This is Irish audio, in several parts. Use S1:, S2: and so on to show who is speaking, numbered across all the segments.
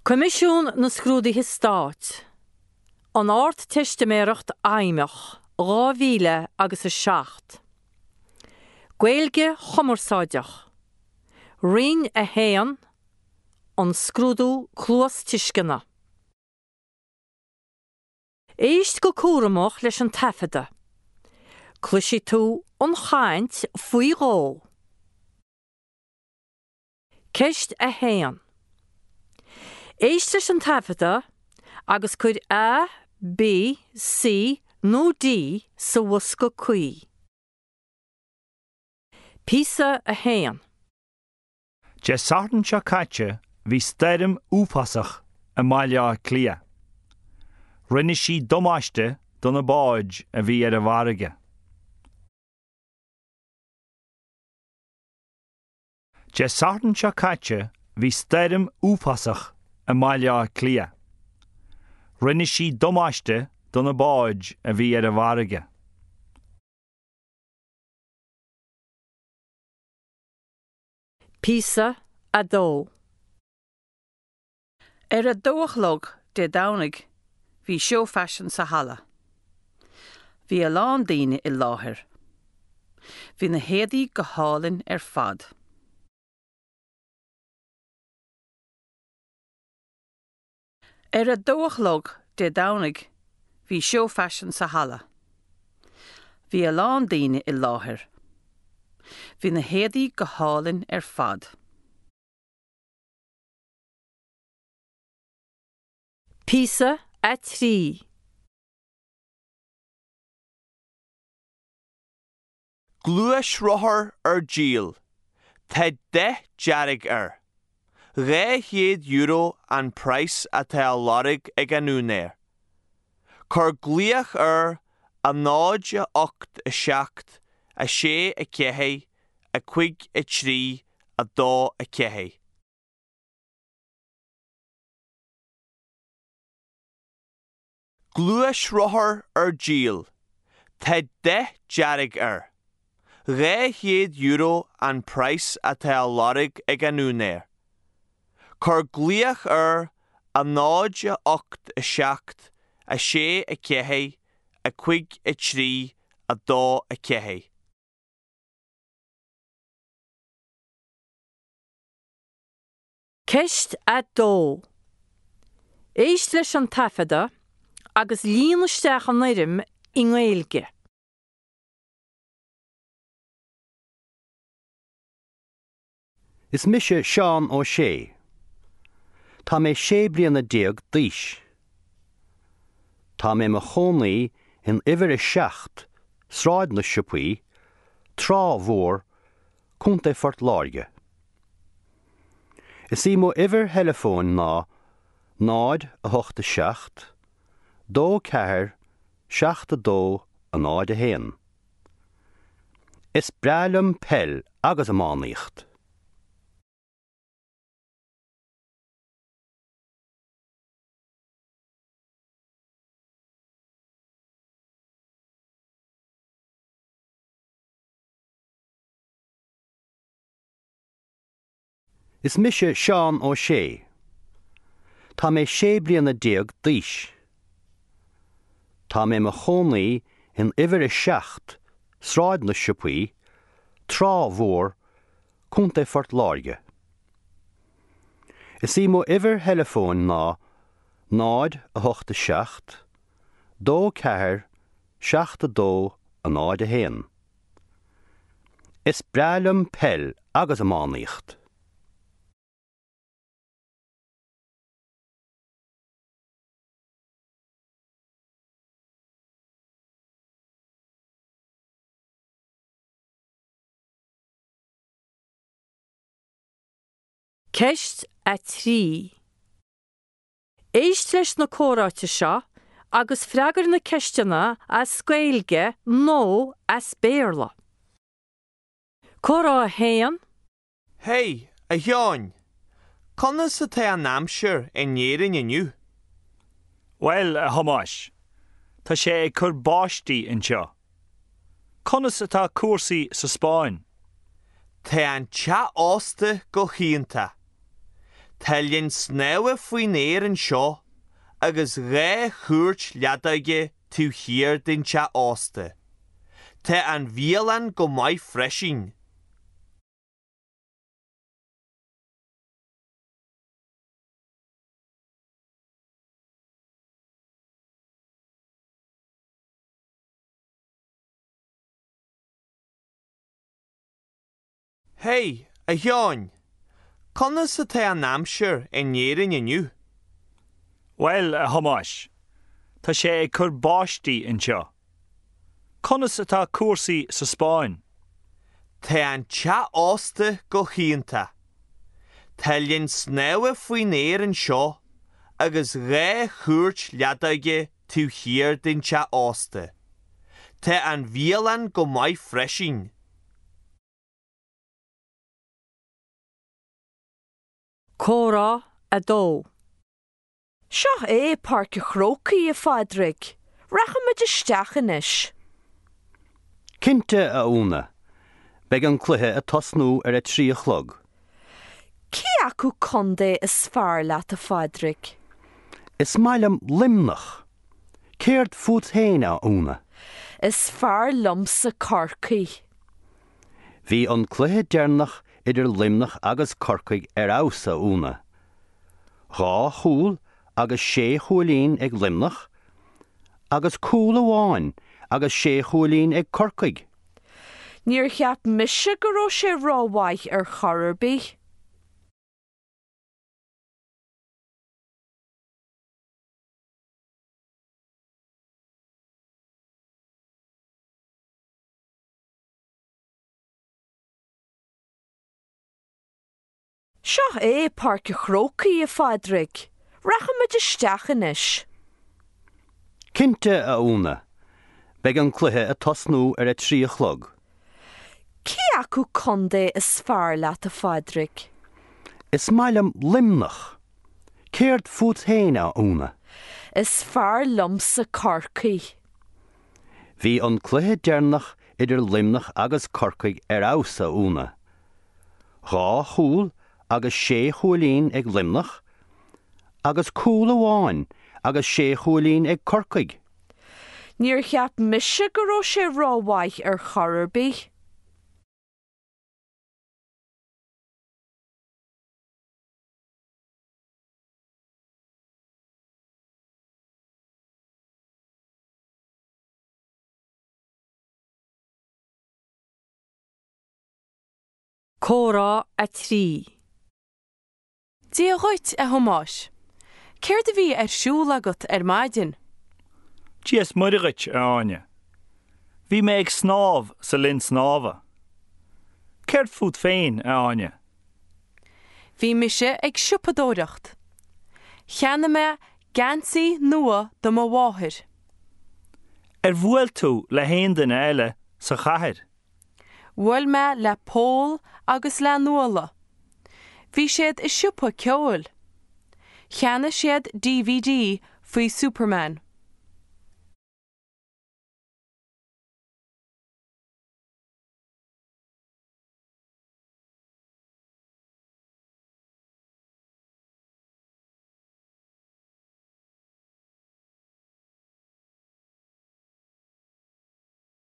S1: Coimisiún na Scrúduithe Stáit, An Ardteistiméireacht Fheidhmeach 2000 agus 7. Gaeilge Chumarsáideach, Roinn 1, An Scrúdú Cluastuisceana. Éist go cúramach leis an taifeadadh. Cloisfidh tú an chaint faoi dhó. Ceist 1. Éist leis an taifeadadh agus cuir A, B, C nó D sa bhosca cuí. Píosa 1.
S2: Dé Sathairn seo caite bhí stoirm uafásach i mBaile Átha Cliath. Rinne sí damáiste do na báid a bhí ar an bhfarraige. Dé Sathairn seo caite bhí stoirm uafásach i mBaile Átha Cliath. Rinne sí damáiste do na báid a bhí ar an bhfarraige.
S1: Píosa 2.
S3: Ar a dó a chlog Dé Domhnaigh bhí seó faisin sa halla. Bhí a lán daoine i láthair. Bhí na héadaí go hálainn ar fad. Ar a dó a chlog Dé Domhnaigh bhí seó faisin sa halla. Bhí a lán daoine i láthair. Bhí na héadaí go hálainn ar fad.
S1: Píosa 3.
S4: Gluaisrothar ar díol. Tá dath dearg air. €200 an praghas atá á lorg ag an úinéir. Cuir glaoch ar 0 8 7 6 4 5 3 2 4. Gluaisrothar ar díol. Tá dath dearg air. €200 an praghas atá á lorg ag an úinéir. Cuir glaoch ar 0 8 7 6 4 5 3 2 4.
S1: Ceist 2. Éist leis an taifeadadh agus líon isteach an fhoirm i nGaeilge.
S5: Is mise Seán Ó Sé. Tá mé sé bliana déag d'aois. Tá mé i mo chónaí in uimhir 7, Sráid na Siopaí, Trá Mhór, Contae Phort Láirge. Is í mo uimhir theileafóin ná 0 8 7 2 4 7 2 0 1. Is breá liom peil agus iománaíocht. Is mise Seán Ó Sé. Tá mé sé bliana déag d'aois. Tá mé i mo chónaí in uimhir 7, Sráid na Siopaí, Trá Mhór, Contae Phort Láirge. Is í mo uimhir theileafóin ná 0 8 7 2 4 7 2 0 1. Is breá liom peil agus iománaíocht.
S1: Ceist 3. Éist leis na comhráite seo agus freagair na ceisteanna as Gaeilge nó as Béarla. Comhrá 1.
S4: Hey, a Sheáin! Conas atá an aimsir in Éirinn inniu?
S2: Bhuel, a Thomáis, tá sé ag cur báistí anseo. Conas atá cúrsaí sa Spáinn?
S4: Tá an teach ósta go hiontach. Tá linn snámha faoin aer anseo agus 2 chúirt leadóige taobh thiar den teach ósta. Tá an bhialann go maith freisin. Hey, a Sheáin! Conas atá an aimsir in Éirinn inniu?
S2: Bhuel, a Thomáis, tá sé ag cur báistí anseo. Conas atá cúrsaí sa Spáinn?
S4: Tá an teach ósta go hiontach. Tá linn snámha faoin aer anseo agus 2 chúirt leadóige taobh thiar den teach ósta. Tá an bhialann go maith freisin.
S1: Comhrá 2.
S6: Seo é Páirc an Chrócaigh, a Phádraig. Rachaimid isteach anois.
S5: Cinnte, a Úna. Beidh an cluiche ag tosnú ar a 3 a chlog.
S6: Cé acu contae is fearr leat, a Phádraig?
S5: Is maith liom Luimneach. Céard fút féin, a Úna?
S6: Is fearr liomsa Corcaigh.
S5: Bhí an cluiche deireanach idir Luimneach agus Corcaigh ar fheabhas, a Úna. 2 chúl agus 6 chúilín ag Luimneach agus cúl amháin agus 6 chúilín ag Corcaigh.
S6: Níor cheap mise go raibh sé rómhaith ar chor ar bith. Seo é Páirc an Chrócaigh, a Phádraig. Rachaimid isteach anois.
S5: Cinnte, a Úna. Beidh an cluiche ag tosnú ar a 3 a chlog.
S6: Cé acu contae is fearr leat, a Phádraig?
S5: Is maith liom Luimneach. Céard fút féin, a Úna?
S6: Is fearr liomsa Corcaigh.
S5: Bhí an cluiche deireanach idir Luimneach agus Corcaigh ar fheabhas, a Úna. 2 chúl agus 6 chúilín ag Luimneach agus cúl amháin agus 6 chúilín ag Corcaigh.
S6: Níor cheap mise go raibh sé rómhaith ar chor ar bith.
S1: Comhrá 3.
S7: Dia dhuit, a Thomáis. Céard a bhí ar siúl agat ar maidin?
S2: Dia is Muire dhuit, a Áine. Bhí mé ag snámh sa linn snámha. Céard fút féin, a Áine?
S7: Bhí mise ag siopadóireacht. Cheannaigh mé geansaí nua do mo mháthair.
S2: Ar bhuail tú le haon duine eile sa chathair?
S7: Bhuail mé le Pól agus le Nuala. Bhí siad i siopa ceoil. Cheannaigh siad DVD faoi Superman.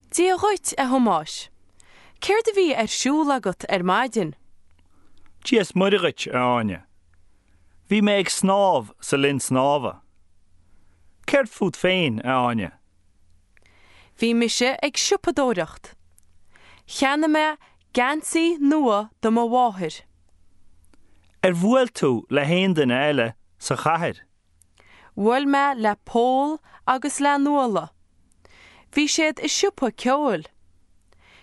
S7: Dia dhuit, a Thomáis. Céard a bhí ar siúl agat ar maidin?
S2: Dia is Muire dhuit, a Áine. Bhí mé ag snámh sa linn snámha. Céard fút féin, a Áine?
S7: Bhí mise ag siopadóireacht. Cheannaigh mé geansaí nua do mo mháthair.
S2: Ar bhuail tú le haon duine eile sa chathair?
S7: Bhuail mé le Pól agus le Nuala. Bhí siad i siopa ceoil.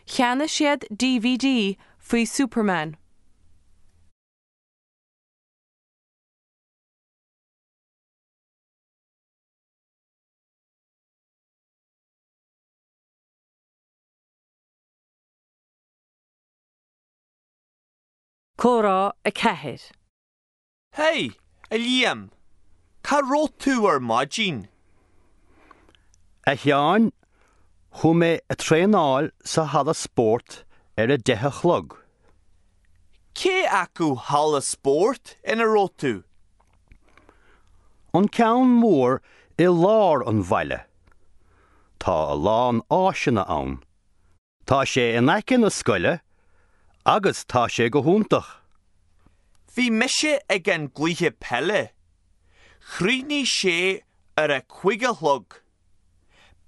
S7: Cheannaigh siad DVD faoi Superman.
S1: Comhrá 4.
S4: Hey, a Liam! Cá raibh tú ar maidin?
S5: A Sheáin, chuaigh mé ag traenáil sa halla spóirt ar a deich a chlog.
S4: Cé acu halla spóirt ina raibh tú?
S5: An ceann mór i lár an bhaile. Tá a lán áiseanna ann. Tá sé in aice na scoile agus tá sé go hiontach.
S4: Bhí mise ag an gcluiche peile. Chríochnaigh sé ar a cuig a chlog.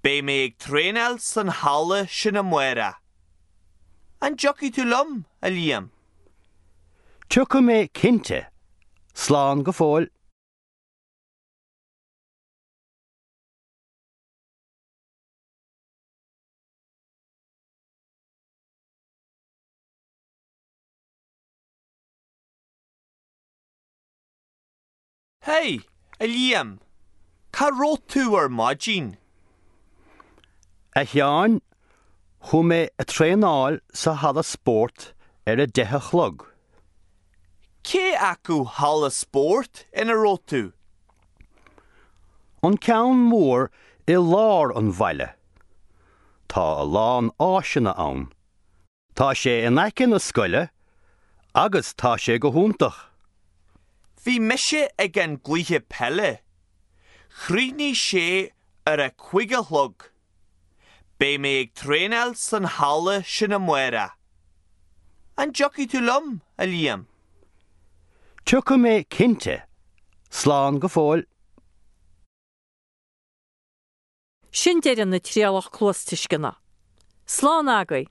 S4: Beidh mé ag traenáil san halla sin amárach. An dtiocfaidh tú liom, a Liam?
S5: Tiocfaidh mé cinnte. Slán go fóill.
S4: Hey, a Liam, cá raibh tú ar maidin?
S5: A Sheáin, chuaigh mé a traenáil sa halla spóirt ar a deich a chlog.
S4: Cé acu halla spóirt ina raibh tú?
S5: An ceann mór i lár an bhaile. Tá a lán áiseanna ann. Tá sé in aice na scoile agus tá sé go hiontach.
S4: Bhí mise ag an gcluiche peile. Chríochnaigh sé ar a cuig a chlog. Beidh mé ag traenáil san halla sin amárach. An dtiocfaidh tú liom, a Liam?
S5: Tiocfaidh mé cinnte. Slán go fóill.
S1: Sin deireadh na trialach cluastuisceana. Slán agaibh!